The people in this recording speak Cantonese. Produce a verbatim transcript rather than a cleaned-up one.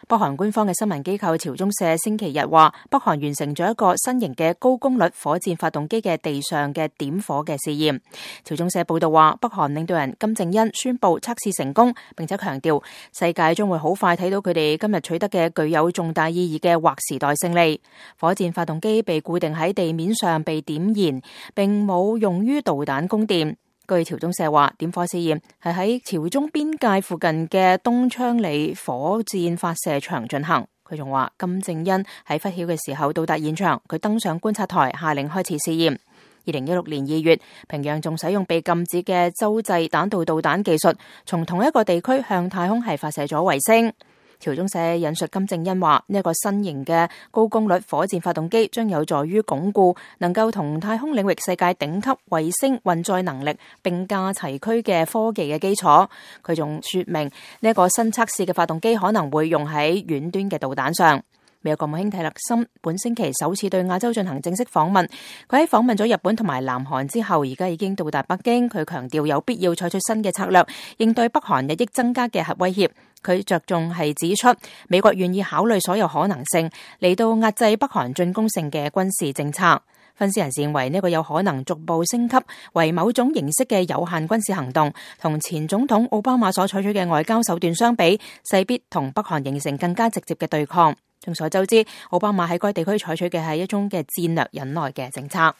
北韓官方嘅新聞機構朝中社星期日話，北韓完成咗一個新型嘅高功率火箭發動機嘅地上嘅點火嘅試驗。朝中社報道話，北韓領導人金正恩宣布測試成功，並且強調世界將會好快睇到佢哋今日取得嘅具有重大意義嘅劃時代勝利。火箭發動機被固定喺地面上被點燃，並冇用於導彈供電。據朝中社話，點火試驗係喺朝中邊界附近嘅東昌里火箭發射場進行。佢仲話，金正恩喺忽曉嘅時候到達現場，佢登上觀察台，下令開始試驗。二零一六年二月，平壤仲使用被禁止嘅洲際彈道導彈技術，從同一個地區向太空系發射咗衛星。朝中社引述金正恩話，呢一個新型嘅高功率火箭發動機將有助於鞏固能夠同太空領域世界頂級衛星運載能力並駕齊驅嘅科技嘅基礎。佢仲說明呢一個新測試嘅發動機可能會用喺遠端嘅導彈上。美國國務卿蒂勒森本星期首次對亞洲進行正式訪問，佢喺訪問咗日本同埋南韓之後，而家已經到達北京。佢強調有必要採取新嘅策略，應對北韓日益增加嘅核威脅。佢着重係指出，美國願意考慮所有可能性嚟到壓制北韓進攻性嘅軍事政策。分析人士認為呢個有可能逐步升級為某種形式嘅有限軍事行動，同前總統奧巴馬所採取嘅外交手段相比，勢必同北韓形成更加直接嘅對抗。眾所周知，奧巴馬喺該地區採取嘅係一種嘅戰略忍耐嘅政策。